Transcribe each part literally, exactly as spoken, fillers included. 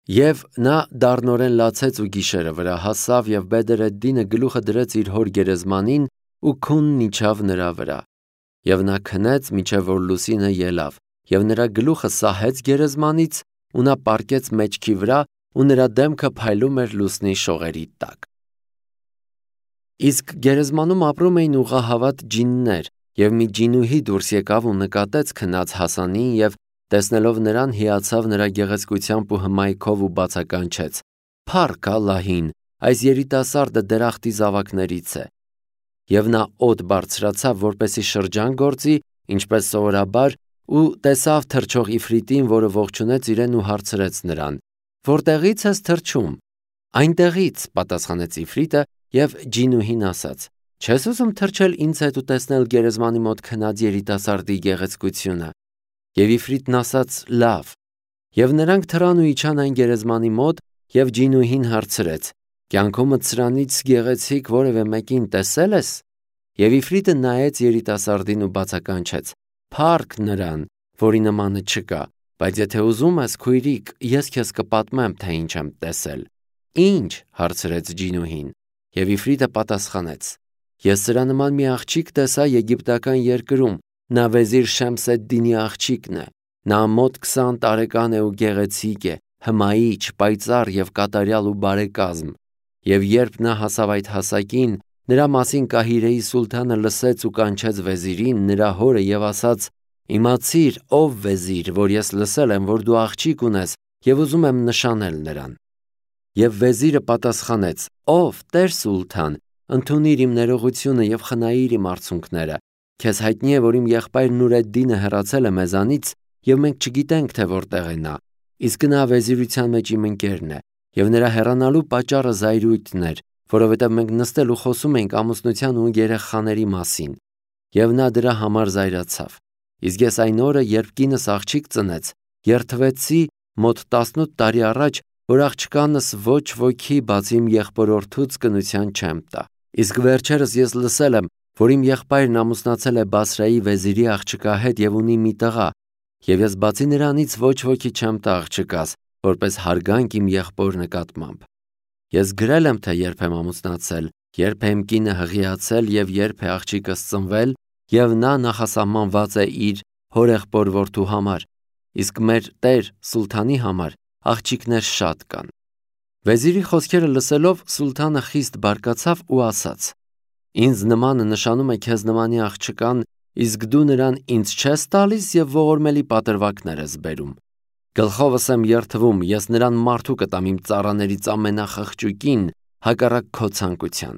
Եվ նա դառնորեն լացեց ու գիշերը վրա հասավ և Բեդր էդ-Դինը գլուխը դրեց իր հոր գերեզմանին ու քունն իջավ նրա վրա։ Եվ նա քնեց մինչև որ լուսինը ելավ, և նրա գլուխը սահեց գերեզմանից ու նա պառկեց մեջքի վրա ու նրա դեմքը փայլում էր լուսնի շողերի տակ։ Իսկ գերեզմանում ապրում էին ուղղահավատ ջիններ, և մի ջինուհի դուրս եկավ ու նկատեց քնած Հասանին և տեսնելով նրան հիացավ նրա գեղեցկությամբ ու հմայքով ու բացականչեց. «Փառք Ալլահին, այս երիտասարդը դրախտի զավակներից է»։ Եվ նա օդ բարձրացավ, որպեսզի շրջան գործի, ինչպես սովորաբար, ու տեսավ թռչող Իֆրիտին, որը ողջունեց իրեն ու հարցրեց նրան. «Որտեղի՞ց ես թռչում»։ «Այնտեղից», պատասխանեց Իֆրիտը, և ջինուհին ասաց. «Չես ուզում թռչել ինձ հետ ու տեսնել գերեզմանի մոտ քնած երիտասարդի գեղեցկությունը»։ Եվ Իֆրիտն ասաց. «Լավ»։ Եվ նրանք թռան ու իջան այն գերեզմանի մոտ, և ջինուհին հարցրեց. «Կյանքումդ սրանից գեղեցիկ որևէ մեկին տեսե՞լ ես»։ Եվ Իֆրիտը նայեց երիտասարդին ու բացականչեց. «Փառք նրան, որի նմանը չկա, բայց եթե ուզում ես, քույրիկ, ես քեզ կպատմեմ, թե ինչ եմ տեսել»։ «Ի՞նչ» հարցրեց ջինուհին։ Եվ Իֆրիտը պատասխանեց. «Ես սրա նման մի աղջիկ տեսա եգիպտական երկրում, նա վեզիր Շեմս էդ-Դինի աղջիկն է։ Նա մոտ քսան տարեկան է ու գեղեցիկ է, հմայիչ, պայծառ և կատարյալ ու բարեկազմ։ Եվ երբ նա հասավ այդ հասակին, նրա մասին Կահիրեի սուլթանը լսեց ու կանչեց վեզիրին, նրա հորը, և ասաց. «Իմացիր, ով վեզիր, որ ես լսել եմ, որ դու աղջիկ ունես և ուզում եմ նշանել նրան»։ Եվ վեզիրը պատասխանեց. «Ով Տեր սուլթան, ընդունիր իմ ներողությունը և խնայիր իմ արցունքները։ Քեզ հայտնի է, որ իմ եղբայր Նուր էդ-Դինը հեռացել է մեզանից, և մենք չգիտենք, թե որտեղ է նա, իսկ նա վեզիրության մեջ իմ ընկերն է, և նրա հեռանալու պատճառը զայրույթն էր, որովհետև մենք նստել ու խոսում էինք ամուսնության ու երեխաների մասին։ Եվ նա դրա համար զայրացավ։ Իսկ ես այն օրը, երբ կինս աղջիկ ծնեց, երդվեցի մոտ տասնութ տարի առաջ, որ աղջկանս ոչ ոքի բացի իմ եղբորորդուց կնության չեմ տա։ Իսկ վերջերս ես լսել եմ, որ իմ եղբայրն ամուսնացել է Բասրայի վեզիրի աղջկա հետ և ունի մի տղա, և ես բացի նրանից ոչ ոքի չեմ տա աղջկաս, որպես հարգանք իմ եղբոր նկատմամբ։ Ես գրել եմ, թե երբ եմ ամուսնացել, երբ է իմ կինը հղիացել և երբ է աղջիկս ծնվել, և նա նախասահմանված է իր հորեղբոր որդու համար, իսկ մեր Տեր սուլթանի համար աղջիկներ շատ կան»։ Վեզիրի խոսքերը լսելով սուլթանը խիստ բարկացավ ու ասաց. «Ինձ նմանը նշանում է քեզ նմանի աղջկան, իսկ դու նրան ինձ չես տալիս և ողորմելի պատրվակներ ես բերում։ Գլխովս եմ երդվում, ես նրան մարդու կտամ իմ ծառաներից ամենախղճուկին, հակառակ քո ցանկության»։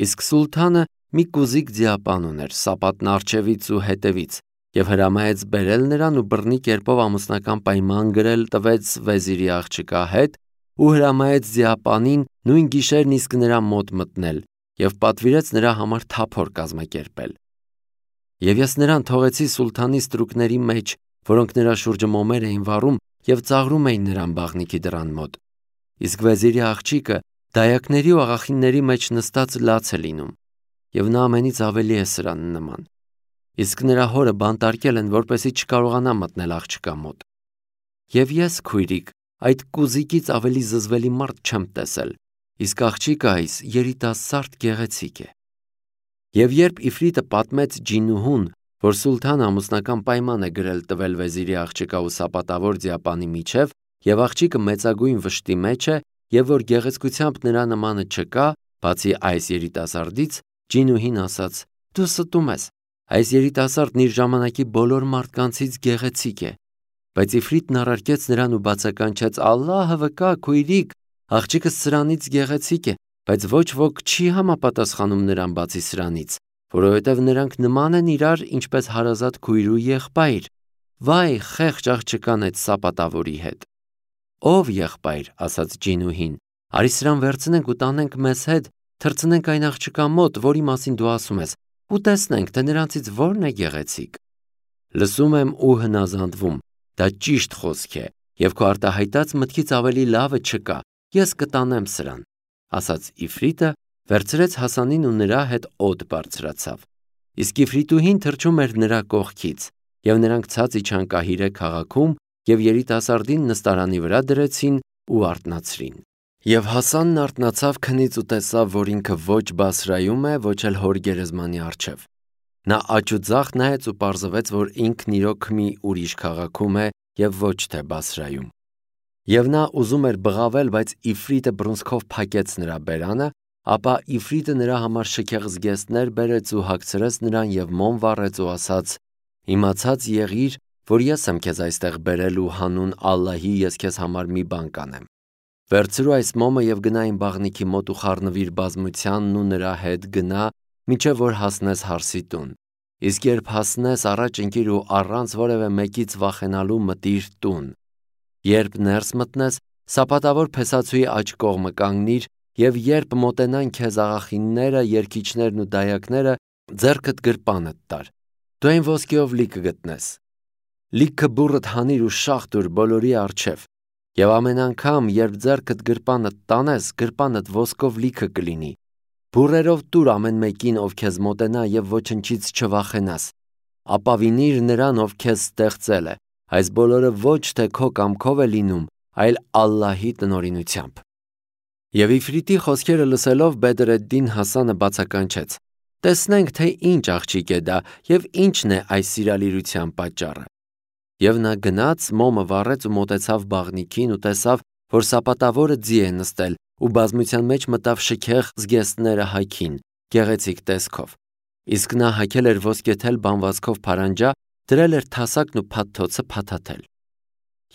Իսկ սուլթանը մի կուզիկ ձիապան ուներ Սապատն առջևից ու հետևից, և հրամայեց բերել նրան ու բռնի կերպով ամուսնական պայման գրել տվեց վեզիրի աղջկա հետ ու հրամայեց ձիապանին նույն գիշերն իսկ նրա մոտ մտնել և պատվիրեց նրա համար թափոր կազմակերպել։ Եվ ես նրան թողեցի սուլթանի ստրուկների մեջ, որոնք նրա շուրջը մոմեր էին վառում և ծաղրում էին նրան բաղնիքի դռան մոտ։ Իսկ վեզիրի աղջիկը դայակների ու աղախինների մեջ նստած լաց է լինում, և նա ամենից ավելի է սրան նման։ Իսկ նրա հորը բանտարկել են, որպեսզի չկարողանա մտնել աղջկա մոտ։ Եվ ես, քույրիկ, այդ կուզիկից ավելի զզվելի մարդ չեմ տեսել, իսկ աղջիկը այս երիտասարդ գեղեցիկ է։ Եվ երբ Իֆրիտը պատմեց ջինուհուն, որ սուլթանը ամուսնական պայման է գրել տվել վեզիրի աղջկա ու սապատավոր ձիապանի միջև, և աղջիկը մեծագույն վշտի մեջ է, և որ գեղեցկությամբ նրա նմանը չկա, բացի այս երիտասարդից, ջինուհին ասաց. «Դու ստում ես, այս երիտասարդն իր ժամանակի բոլոր մարդկանցից գեղեցիկ է»։ Բայց Իֆրիտն առարկեց նրան ու բացականչեց. «Ալլահը վկա, քույրիկ, աղջիկս սրանից գեղեցիկ է, բայց ոչ ոք չի համապատասխանում նրան բացի սրանից, որովհետև նրանք նման են իրար, ինչպես հարազատ քույր ու եղբայր։ Վայ, խեղճ աղջկան այդ սապատավորի հետ»։ «Ով եղբայր», ասաց ջինուհին, «արի սրան վերցնենք ու տանենք մեզ հետ, թռցնենք այն աղջկա մոտ, որի մասին դու ասում ես, ու տեսնենք, թե նրանցից որն է գեղեցիկ»։ «Լսում եմ ու հնազանդվում, դա ճիշտ խոսք է, և քո արտահայտած մտքից ավելի լավը չկա, ես կտանեմ սրան», ասաց Իֆրիտը, վերցրեց Հասանին ու նրա հետ օդ բարձրացավ։ Իսկ Իֆրիտուհին թռչում էր նրա կողքից, և նրանք ցած իջան Կահիրե քաղաքում և երիտասարդին նստարանի վրա դրեցին ու արթնացրին։ Եվ Հասանն արթնացավ քնից ու տեսավ, որ ինքը ոչ Բասրայում է, ոչ էլ հոր գերեզմանի առջև։ Նա աջ ու ձախ նայեց ու պարզվեց, որ ինքն իրոք մի ուրիշ քաղաքում է և ոչ թե Բասրայում։ Եվ նա ուզում էր բղավել, բայց Իֆրիտը բռունցքով փակեց նրա բերանը, ապա Իֆրիտը նրա համար շքեղ զգեստներ բերեց ու հագցրեց նրան և մոմ վառեց ու ասաց. «Իմացած եղիր, որ ես եմ քեզ այստեղ բերել ու հանուն Ալլահի ես քեզ համար մի բան կանեմ։ Վերցրու այս մոմը և գնա իմ բաղնիքի մոտ ու խառնվիր բազմությանն ու նրա հետ գնա, մինչև որ հասնես հարսի տուն։ Իսկ երբ հասնես, առաջ ընկիր ու առանց որևէ մեկից վախենալու մտիր տուն։ Երբ ներս մտնես, սապատավոր փեսացուի աջ կողմը կանգնիր, և երբ մոտենան քեզ աղախինները, երգիչներն ու դայակները, ձեռքդ գրպանդ տար։ Դու այն ոսկեով լի կգտնես։ Լիքը բուռդ հանիր ու շաղ տուր բոլորի առջև։ Եվ ամեն անգամ, երբ ձեռքդ գրպանդ տանես, գրպանդ ոսկով լիքը կլինի։ Բուռերով տուր ամեն մեկին, ով քեզ մոտենա, և ոչնչից չվախենաս։ Ապավինիր նրան, ով քեզ ստեղծել է։ Այս բոլորը ոչ թե քո կամքով է լինում, այլ Ալլահի տնօրինությամբ»։ Եվ Իֆրիտի խոսքերը լսելով Բեդր էդ-Դին Հասանը բացականչեց. «Տեսնենք, թե ինչ աղջիկ է դա և ինչն է այս սիրալիրության պատճառը»։ Եվ նա գնաց, մոմը վառեց ու մոտեցավ բաղնիքին ու տեսավ, որ սապատավորը ձի է նստել ու բազմության մեջ մտավ շքեղ զգեստները հագին, գեղեցիկ տեսքով։ Իսկ նա հագել էր ոսկեթել բանվածքով փարանջա, դրել էր թասակն ու փաթթոցը փաթաթել։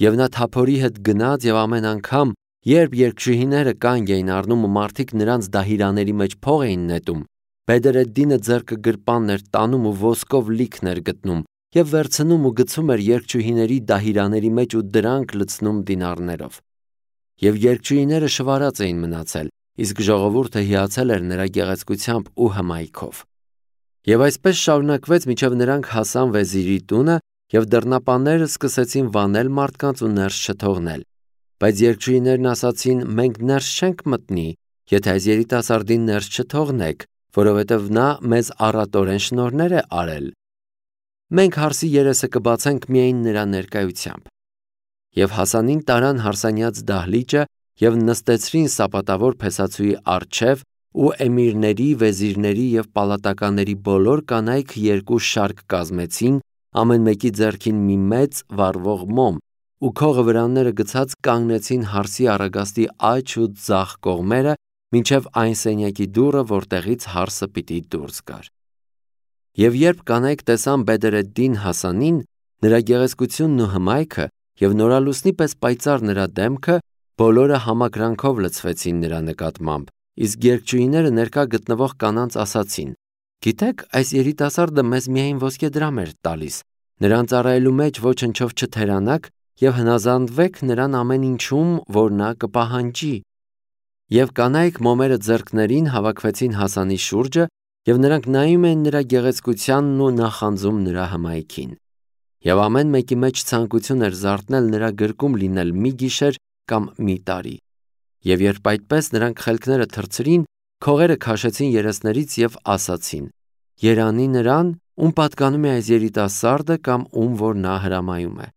Եվ նա թափորի հետ գնաց և ամեն անգամ, երբ երգչուհիները կանգ էին առնում ու մարդիկ նրանց դահիրաների մեջ փող էին նետում, Բեդր էդ-Դինը ձեռքը գրպանն էր տանում ու ոսկով լիքն էր գտնում և վերցնում ու գցում էր երգչուհիների դահիրաների մեջ ու դրանք լցնում դինարներով։ Եվ երգչուհիները շվարած էին մնացել, իսկ ժողովուրդը հիացել էր նրա գեղեցկությամբ ու հմայքով։ Եվ այսպես շարունակվեց, մինչև նրանք հասան վեզիրի տունը, և դռնապանները սկսեցին վանել մարդկանց ու ներս չթողնել։ Բայց երգչուհիներն ասացին. «Մենք ներս չենք մտնի, եթե այս երիտասարդին ներս չթողնեք, որովհետև նա մեզ առատորեն շնորհներ է արել։ Մենք հարսի երեսը կբացենք միայն նրա ներկայությամբ»։ Եվ Հասանին տարան հարսանյաց դահլիճը և նստեցրին սապատավոր փեսացուի առջև, ու էմիրների, վեզիրների և պալատականների բոլոր կանայք երկու շարք կազմեցին, ամեն մեկի ձեռքին մի մեծ վառվող մոմ, ու քողը վրանները գցած կանգնեցին հարսի առագաստի աջ ու ձախ կողմերը, մինչև այն սենյակի դուռը, որտեղից հարսը պիտի դուրս գար։ Եվ երբ կանայք տեսան Բեդր էդ-Դին Հասանին, նրա գեղեցկությունն ու հմայքը և նորալուսնի պես պայծառ նրա դեմքը, բոլորը համակրանքով լցվեցին նրա նկատմամբ, իսկ երգչուհիները ներկա գտնվող կանանց ասացին. «Գիտեք, այս երիտասարդը մեզ միայն ոսկեդրամ էր տալիս, նրան ծառայելու մեջ ոչնչով չթերանաք և հնազանդվեք նրան ամեն ինչում, որ նա կպահանջի»։ Եվ կանայք մոմերը ձեռքներին հավաքվեցին Հասանի շուրջը, և նրանք նայում էին նրա գեղեցկությանն ու նախանձում նրա հմայքին։ Եվ ամեն մեկի մեջ ցանկություն էր զարթնել նրա գրկում լինել մի գիշեր կամ մի տարի։ Եվ երբ այդպես նրանք խելքները թռցրին, քողերը քաշեցին երեսներից և ասացին. «Երանի նրան, ում պատկանում է այս երիտասարդը կամ ում որ նա հրամայում է»։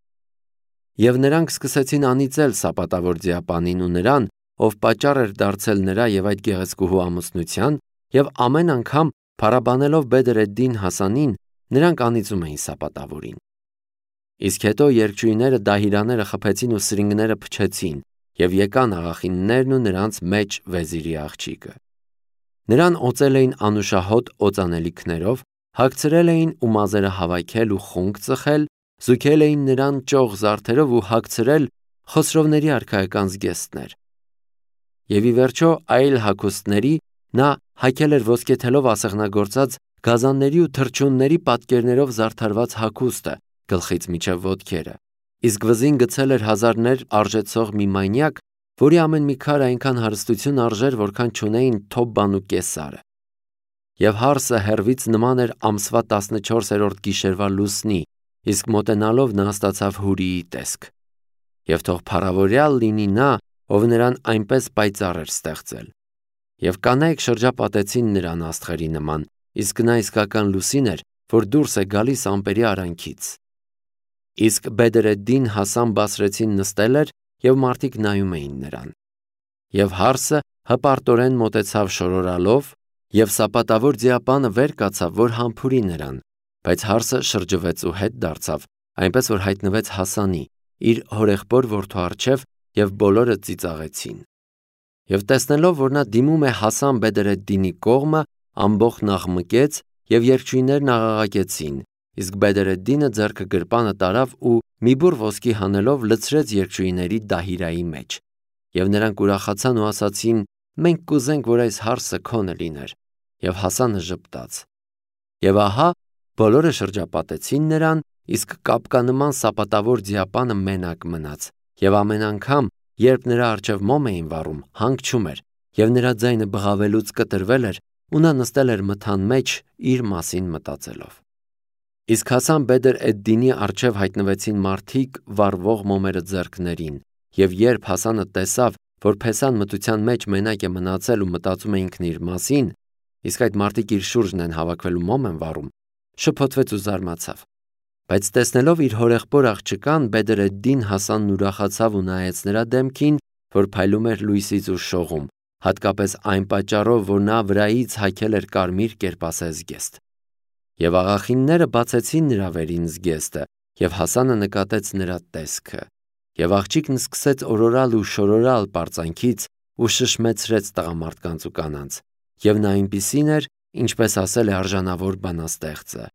Եվ նրանք սկսեցին անիծել սապատավոր ձիապանին ու նրան, ով պատճառ էր դարձել նրա և այդ գեղեցկուհու ամուսնության, և ամեն անգամ փառաբանելով Բեդր էդ-Դին Հասանին, նրանք անիծում էին սապատավորին։ Իսկ հետո երգչուհիները դահիրանները խփեցին ու սրինգները փչեցին, և եկան աղախիններն ու նրանց մեջ վեզիրի աղջիկը։ Նրան օծել էին անուշահոտ օծանելիքներով, հագցրել էին ու մազերը հավաքել ու խունկ ծխել, զուգել էին նրան ճոխ զարդերով ու հագցրել Խոսրովների արքայական զգեստներ։ Եվ ի վերջո այլ հագուստների նա հագել էր ոսկեթելով ասեղնագործած գազանների ու թռչունների պատկերներով զարդարված հագուստը գլխից մինչև ոտքերը, իսկ վզին գցել էր հազարներ արժեցող մի մանյակ, որի ամեն մի քար այնքան հարստություն արժեր, որքան չունեին Թոբբան ու Կեսարը։ Եվ հարսը հեռվից նման էր ամսվա տասնչորսերորդ գիշերվա լուսնի, իսկ մոտենալով նա ստացավ հուրիի տեսք։ Եվ թող փառավորյալ լինի նա, ով նրան այնպես պայծառ էր ստեղծել։ Եվ կանայք շրջապատեցին նրան աստղերի նման, իսկ նա իսկական լուսին էր, որ դուրս է գալիս ամպերի արանքից։ Իսկ Բեդրեդդին Հասան Բասրեցին նստել էր և մարդիկ նայում էին նրան։ Եվ հարսը հպարտորեն մոտեցավ շորորալով, և սապատավոր ձիապանը վեր կացավ, որ համբուրի նրան, բայց հարսը շրջվեց ու հետ դարձավ, այնպես որ հայտնվեց Հասանի, իր հորեղբոր որդու առջև, և բոլորը ծիծաղեցին։ Եվ տեսնելով, որ նա դիմում է Հասան Բեդրեդդինի կողմը, ամբոխն աղմկեց, և երգչույններն աղաղակեցին, իսկ Բեդրեդդինը ձեռքը գրպանը տարավ ու մի բուռ ոսկի հանելով լցրեց երգչույների դահիրայի մեջ։ Եվ նրանք ուրախացան ու ասացին. «Մենք կուզենք, որ այս հարսը քոնը լիներ»։ Եվ Հասանը ժպտաց։ Եվ ահա բոլորը շրջապատեցին նրան, իսկ կապկանման սապատավոր ձիապանը մենակ մնաց, և ամեն անգամ, երբ նրա առջև մոմ էին վառում, հանգչում էր, և նրա ձայնը բղավելուց կտրվել էր, ու նա նստել էր մթան մեջ, իր մասին մտածելով։ Իսկ Հասան Բեդր էդ-Դինի առջև հայտնվեցին մարդիկ վառվող մոմերը ձեռքներին, և երբ Հասանը տեսավ, որ փեսան մթության մեջ մենակ է մնացել ու մտածում է ինքն իր մասին, իսկ այդ մարդիկ իր շուրջն են հավաքվել ու մոմ են վառում, շփոթվեց ու զարմացավ։ Բայց տեսնելով իր հորեղբոր աղջկան, Բեդր էդ-Դին Հասանն ուրախացավ ու նայեց նրա դեմքին, որ փայլում էր լույսից ու շողում, հատկապես այն պատճառով, որ նա վրայից հագել էր կարմիր կերպասե զգեստ։ Եվ աղախինները բացեցին նրա վերին զգեստը, և Հասանը նկատեց նրա տեսքը։ Եվ աղջիկն սկսեց օրորալ ու շորորալ պարծանքից ու շշմեցրեց տղամարդկանց ու կանանց, և նա այնպիսին էր, ինչպես ասել է արժանավոր բանաստեղծը.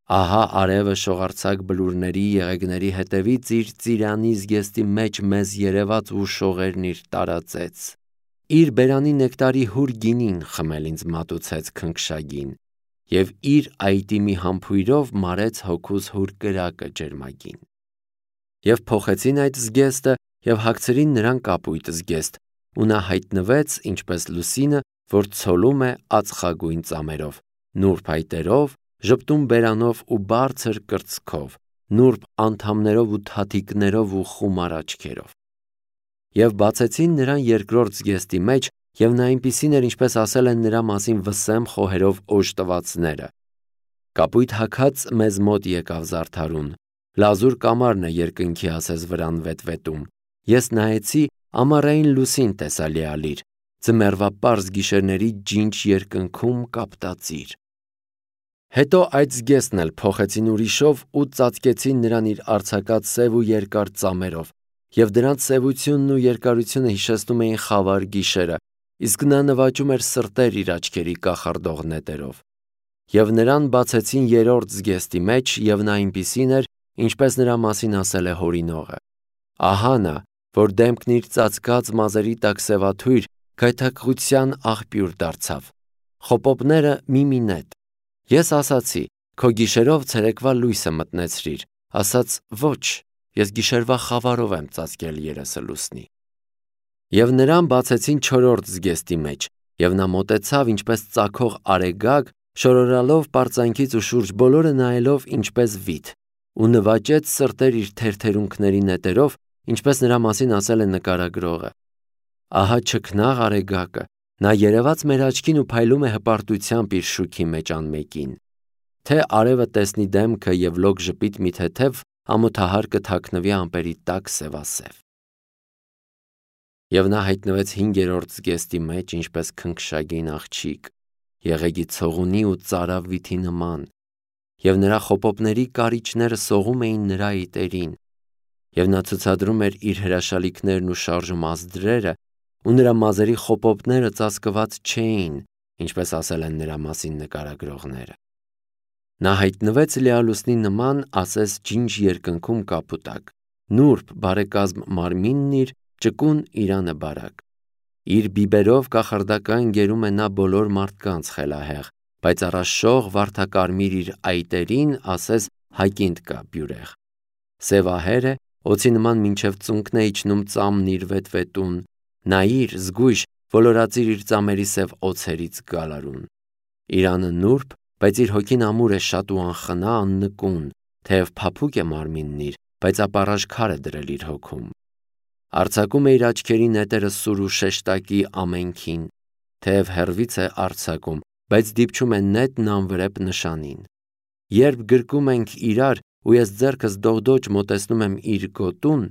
«Ահա արևը շողարցակ բլուրների եղեգների հետևից իր ծիրանի զգեստի մեջ մեզ երևաց ու շողերն իր տարածեց, իր բերանի նեկտարի հուր գինին խմել ինձ մատուցեց քնքշագին, և իր այտի մի համբույրով մարեց հոգուս հուր կրակը ջերմագին»։ Եվ փոխեցին այդ զգեստը և հագցրին նրան կապույտ զգեստ, ու նա հայտնվեց, ինչպես լուսինը, որ ցոլում է ածխագույն ծամերով, նուրբ այտերով, ժպտուն բերանով ու բարձր կրծքով, նուրբ անդամներով ու թաթիկներով ու խումար աչքերով։ Եվ բացեցին նրան երկրորդ զգեստի մեջ, և նա այնպիսին էր, ինչպես ասել են նրա մասին վսեմ խոհերով օժտվածները։ Կապույտ հագած մեզ մոտ եկավ զարդարուն, լազուր կամարն է երկնքի ասես վրան վետվետում։ Ես նայեցի, ամառային լուսին տեսա լիալիր, ձմեռվա պարզ գիշերների ջինջ երկնքում կապտածիր։ Հետո այդ զգեստն էլ փոխեցին ուրիշով ու ծածկեցին նրան իր արձակած սև ու երկար ծամերով, և դրանց սևությունն ու երկարությունը հիշեցնում էին խավար գիշերը, իսկ նա նվաճում էր սրտեր իր աչքերի կախարդող նետերով։ Եվ նրան բացեցին երրորդ զգեստի մեջ, և նա այնպիսին էր, ինչպես նրա մասին ասել է հորինողը. «Ահա նա, որ դեմքն իր ծածկած մազերի տակ սևաթույր, գայթակղության աղբյուր դարձավ, խոպոպները մի-մի նետ։ Ես ասացի. քո գիշերով ցերեկվա լույսը մտնեցրիր, ասաց. ոչ, ես գիշերվա խավարով եմ ծածկել երեսը լուսնի»։ Եվ նրան բացեցին չորրորդ զգեստի մեջ, և նա մոտեցավ, ինչպես ծագող արեգակ, շորորալով պարծանքից ու շուրջ բոլորը նայելով ինչպես վիթ, ու նվաճեց սրտեր իր թերթերունքների նետերով, ինչպես նրա մասին ասել է նկարագրողը. «Ահա չքնաղ արեգակը, նա երևաց մեր աչքին ու փայլում է հպարտությամբ իր շուքի մեջ անմեկին։ Թե արևը տեսնի դեմքը և լոկ ժպիտ մի թեթև, ամոթահար կթաքնվի ամպերի տակ սևասև»։ Եվ նա հայտնվեց հինգերորդ զգեստի մեջ, ինչպես քնքշագին աղջիկ, եղեգի ցողունի ու ծարավ վիթի նման, և նրա խոպոպների կարիճները սողում էին նրա այտերին, և նա ցուցադրում էր իր հրաշալիքներն ու շարժում ազդրերը, ու նրա մազերի խոպոպները ծածկված չէին, ինչպես ասել են նրա մասին նկարագրողները։ Նա հայտնվեց լիալուսնի նման, ասես ջինջ երկնքում կապուտակ, նուրբ բարեկազմ մարմինն իր, ճկուն իրանը բարակ։ Իր բիբերով կախարդական գերում է նա բոլոր մարդկանց խելահեղ, բայց առաշող վարդակարմիր իր այտերին ասես հակինդ կա բյուրեղ։ Սևահեր է, օձի նման մինչև ծունկն է իջնում ծամն իր վետվետուն, նայիր, զգույշ, ոլորածիր իր ծամերի սև օձերից գալարուն։ Իրանը նուրբ, բայց իր հոգին ամուր է շատ ու անխնա, աննկուն, թեև փափուկ է մարմինն իր, բայց ապառաժ քար է դրել իր հոգում։ Արձակում է իր աչքերի նետերը սուր ու շեշտակի ամենքին, թեև հեռվից է արձակում, բայց դիպչում է նետն անվրեպ նշանին։ Երբ գրկում ենք իրար ու ես ձեռքս դողդոջ մոտեցնում եմ իր գոտուն,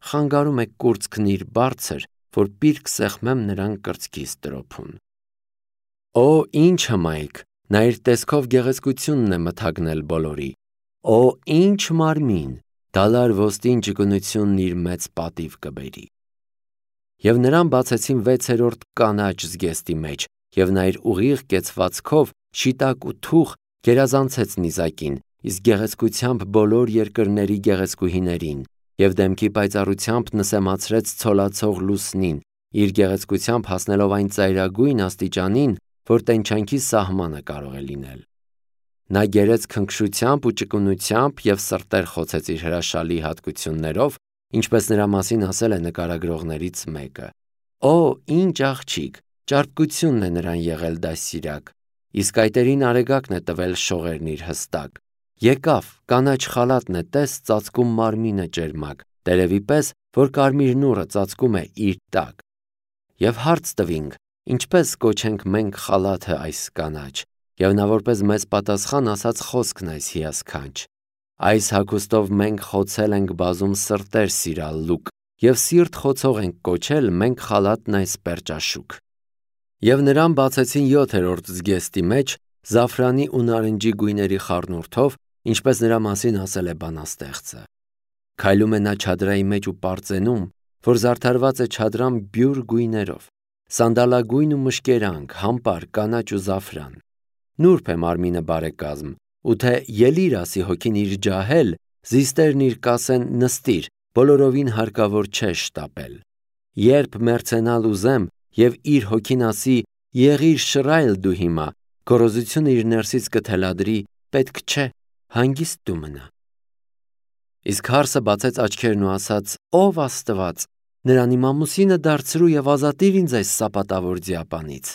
խանգարում է կուրծքն իր բարձր, որ պիրկ սեղմեմ նրան կրծքիս տրոփուն։ Օ, ինչ հմայք, նա իր տեսքով գեղեցկությունն է մթագնել բոլորի։ Օ, ինչ մարմին, դալար ոստին ճկունությունն իր մեծ պատիվ կբերի։ Եվ նրան բացեցին վեցերորդ կանաչ զգեստի մեջ, և նա իր ուղիղ կեցվածքով շիտակ ու թուխ գերազանցեց նիզակին, իսկ գեղեցկությամբ բոլոր երկրների գեղեցկուհիներին, և դեմքի պայծառությամբ նսեմացրեց ցոլացող լուսնին, իր գեղեցկությամբ հասնելով այն ծայրագույն աստիճանին, որ տենչանքի սահմանը կարող է լինել։ Նա գերեց քնքշությամբ ու ճկունությամբ և սրտեր խոցեց իր հրաշալի հատկություններով, ինչպես նրա մասին ասել է նկարագրողներից մեկը։ Օ, ինչ աղջիկ, ճարպկությունն է նրան եղել դաստիարակ, իսկ այտերին արեգակն է տվել շողերն իր հստակ։ Եկավ, կանաչ խալաթն է տես ծածկում մարմինը ջերմակ, տերևի պես, որ կարմիր նուռը ծածկում է իր տակ։ Եվ հարց տվինք, ինչպես կոչենք մենք խալաթը այս կանաչ, և նա որպես մեծ պատասխան ասաց խոսքն այս հիասքանչ. այս հագուստով մենք խոցել ենք բազում սրտեր սիրալլուկ, և սիրտ խոցող ենք կոչել մենք խալաթն այս պերճաշուք։ Եվ նրան բացեցին յոթերորդ զգեստի մեջ, զաֆրանի ու նարնջի գույների խառնուրդով, ինչպես նրա մասին ասել է բանաստեղծը։ Քայլում է նա չադրայի մեջ ու պարծենում, որ զարդարված է չադրան բյուր գույներով, սանդալագույն ու մշկերանք, համպար, կանաչ ու զաֆրան։ Նուրբ է մարմինը բարեկազմ, ու թե ելիր ասի հոգին իր ջահել, զիստերն իր կասեն նստիր, բոլորովին հարկավոր չէ շտապել։ Երբ մեռցենալ ուզեմ, և իր հոգին ասի եղիր շռայլ դու հիմա, գոռոզությունը իր ներսից կթելադրի, պետք չէ, հանգիստ դու մնա։ Իսկ հարսը բացեց աչքերն ու ասաց. Ով Աստված, նրան իմ ամուսինը դարձրու և ազատիր ինձ այս սապատավոր ձիապանից։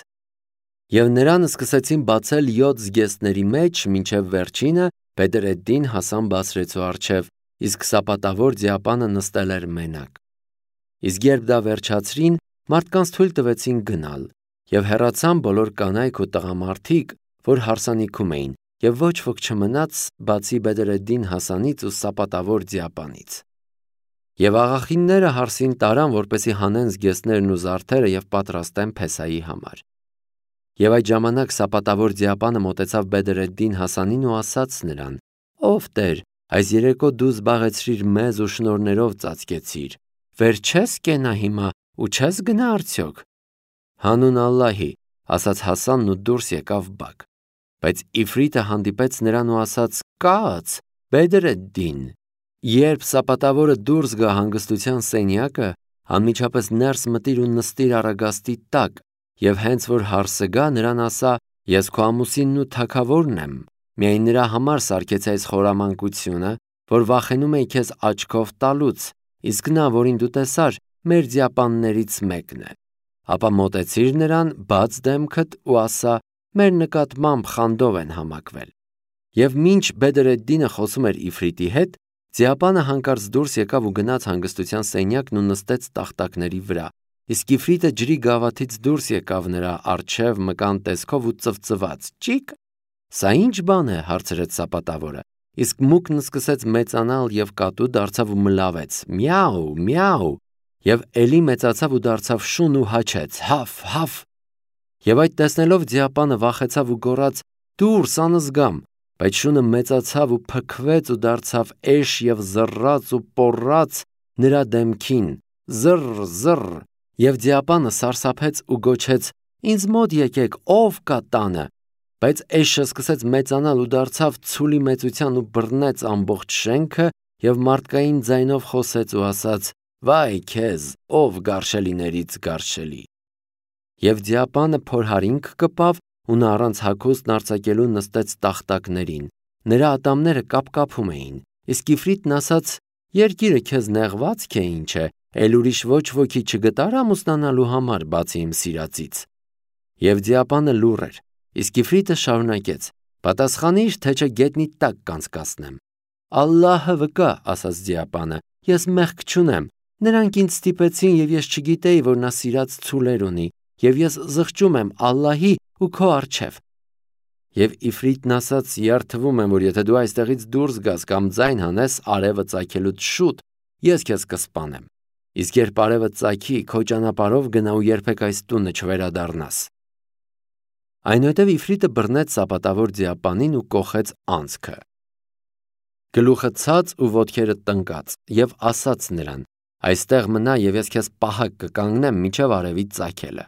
Եվ նրան սկսեցին բացել յոթ զգեստների մեջ, մինչև վերջինը Բեդր-էդ-Դին Հասան Բասրեցու առջև, իսկ սապատավոր ձիապանը նստել էր մենակ։ Իսկ երբ դա վերջացրին, մարդկանց թույլ տվեցին գնալ, և հեռացան բոլոր կանայք ու տղամարդիկ, որ հարսանիքում էին, և ոչ ոք չմնաց, բացի Բեդր-էդ-Դին Հասանից ու սապատավոր ձիապանից։ Եվ աղախինները հարսին տարան, որպեսզի հանեն զգեստներն ու զարդերը և պատրաստեն Փեսայի համար։ Եվ այդ ժամանակ սապատավոր ձիապանը մոտեցավ Բեդր-էդ-Դին Հասանին ու ասաց նրան. Ով Տեր, այս երեկո դու զբաղեցրիր մեզ ու շնորհներով ծածկեցիր, վեր չես կենա հիմա ու չես գնա արդյոք։ Հանուն Ալլահի, ասաց Հասանն ու դուրս եկավ բակ։ Բայց Իֆրիտը հանդիպեց նրան ու ասաց. Կաց, Բեդր-էդ-Դին, երբ սապատավորը դուրս գա հանգստության սենյակը, անմիջապես ներս մտիր ու նստիր առագաստի տակ, և հենց որ հարսը գա, նրան ասա. Ես քո ամուսինն ու թագավորն եմ, միայն նրա համար սարքեցի այս խորամանկությունը, որ վախենում էի քեզ աչքով տալուց, իսկ նա, որին դու տեսար, մեր ձիապաններից մեկն է։ Ապա մոտեցիր նրան, բաց դեմքդ ու ասա. մեր նկատմամբ խանդով են համակվել։ Եվ մինչ Բեդր-էդ-Դինը խոսում էր Իֆրիտի հետ, ձիապանը հանկարծ դուրս եկավ ու գնաց հանգստության սենյակն ու նստեց տախտակների վրա, իսկ Իֆրիտը ջրի գավաթից դուրս եկավ նրա առջև մկան տեսքով ու ծվծված. Ճիկ, սա ինչ բան է, հարցրեց սապատավորը, իսկ մուկն սկսեց մեծանալ և կատու դարձավ ու մլավեց. Միաու, միաու, և էլի մեծացավ ու դարձավ շուն ու հաչեց. Հաֆ, հաֆ։ Եվ այդ տեսնելով ձիապանը վախեցավ ու գոռաց. Դուրս անզգամ, բայց շունը մեծացավ ու փքվեց ու դարձավ էշ և զռռաց ու պոռաց նրա դեմքին. Զռռ, զռռ, և ձիապանը սարսափեց ու գոչեց. Ինձ մոտ եկեք, ով կա տանը։ Բայց էշը սկսեց մեծանալ ու դարձավ ցուլի մեծության ու բռնեց ամբողջ շենքը և մարդկային ձայնով խոսեց ու ասաց. Վայ քեզ, ով գարշելիներից գարշելի։ Եվ ձիապանը փորհարինք կպավ ու նա առանց հագուստն արձակելու նստեց տախտակներին, նրա ատամները կապկապում էին, իսկ Իֆրիտն ասաց. Երկիրը քեզ նեղվա՞ծ է ինչ է, էլ ուրիշ ոչ ոքի չգտար ամուսնանալու համար, բացի իմ սիրածից։ Եվ ձիապանը լուռ էր, իսկ Իֆրիտը շարունակեց. Պատասխանիր, թե չէ գետնի տակ կանցկացնեմ։ Ալլահը վկա, ասաց ձիապանը, ես մեղք չունեմ, նրանք ինձ ստիպեցին և ես չգիտեի, որ նա սիրած ցուլեր ունի, և ես զղջում եմ Ալլահի ու քո առջև։ Եվ Իֆրիտն ասաց. «Երդվում եմ, որ եթե դու այստեղից դուրս գաս կամ ձայն հանես արևը ծագելուց շուտ, ես քեզ կսպանեմ։ Իսկ երբ արևը ծագի, քո ճանապարհով գնա ու երբեք այս տունը չվերադառնաս»։ Այնուհետև Իֆրիտը բռնեց սապատավոր ձիապանին ու կոխեց անցքը, գլուխը ցած ու ոտքերը տնկած, եւ ասաց նրան. «Այստեղ մնա, եւ ես քեզ պահակ կկանգնեմ մինչև արևի ծագելը»։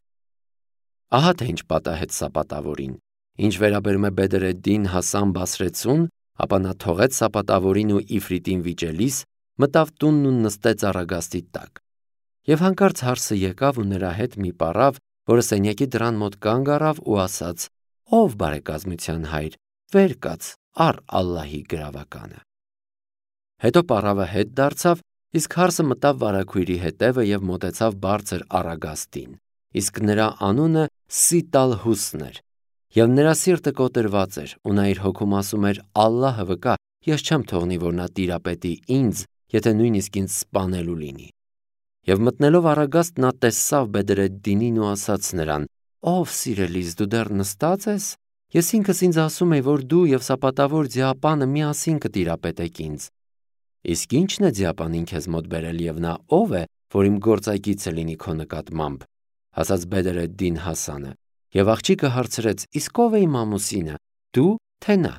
Ահա թե ինչ պատահեց սապատավորին։ Ինչ վերաբերում է Բեդր-էդդին հասան Բասրեցուն, ապա նա թողեց սապատավորին ու Իֆրիտին վիճելիս, մտավ տունն ու նստեց առագաստի տակ։ Եվ հանկարծ հարսը եկավ ու նրա հետ մի պառավ, որը սենյակի դռան մոտ կանգ առավ ու ասաց. «Ով բարեկազմության հայր, վեր կաց, առ Ալլահի գրավականը»։ Հետո պառավը հետ դարձավ, իսկ հարսը մտավ վարագույրի հետևը եւ մոտեցավ բարձր առագաստին, իսկ նրա անունը Սիտալհուսն էր, եւ նրա սիրտը կոտրված էր, ու նա իր հոգում ասում էր. «Ալլահը վկա, ես չեմ թողնի, որ նա տիրապետի ինձ, եթե նույնիսկ ինձ սպանելու լինի»։ Եվ մտնելով առագաստ նա տեսավ Բեդր-էդդինին ու ասաց նրան. «Ով սիրելիս, դու դեռ նստած ես։ Ես ինքս ինձ ասում էի, որ դու եւ սապատավոր ձիապանը միասին կտիրապետեք ինձ։ Իսկ ի՞նչն է ձիապանին քեզ մոտ բերել եւ նա ով է, որ իմ գործակիցը լինի քո նկատմամբ»։ Ասաց Բեդր-էդդին Հասանը, եւ աղջիկը հարցրեց. «Իսկ ով է իմ ամուսինը, դու թե նա»։